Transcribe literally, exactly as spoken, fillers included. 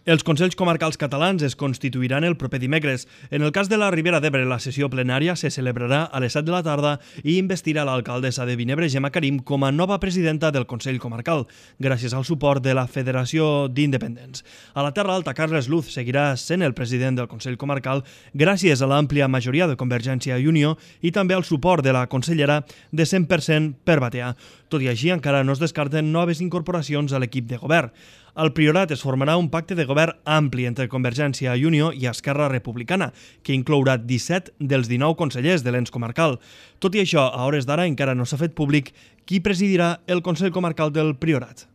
Els Consells Comarcals Catalans es constituiran el proper dimecres. En el cas de la Ribera d'Ebre, la sessió plenària se celebrarà a les set de la tarda i investirà l'alcaldessa de Vinebre, Gemma Karim, com a nova presidenta del Consell Comarcal, gràcies al suport de la Federació d'Independents. A la Terra Alta, Carles Luz seguirà sent el president del Consell Comarcal gràcies a l'àmplia majoria de Convergència i Unió i també al suport de la consellera de cent per cent per Batea. Tot i així, encara no es descarten noves incorporacions a l'equip de govern. Al Priorat es formarà un pacte de govern ampli entre Convergència i Unió i Esquerra Republicana, que inclourà disset dels dinou consellers de l'ens comarcal. Tot i això, a hores d'ara encara no s'ha fet públic qui presidirà el Consell Comarcal del Priorat.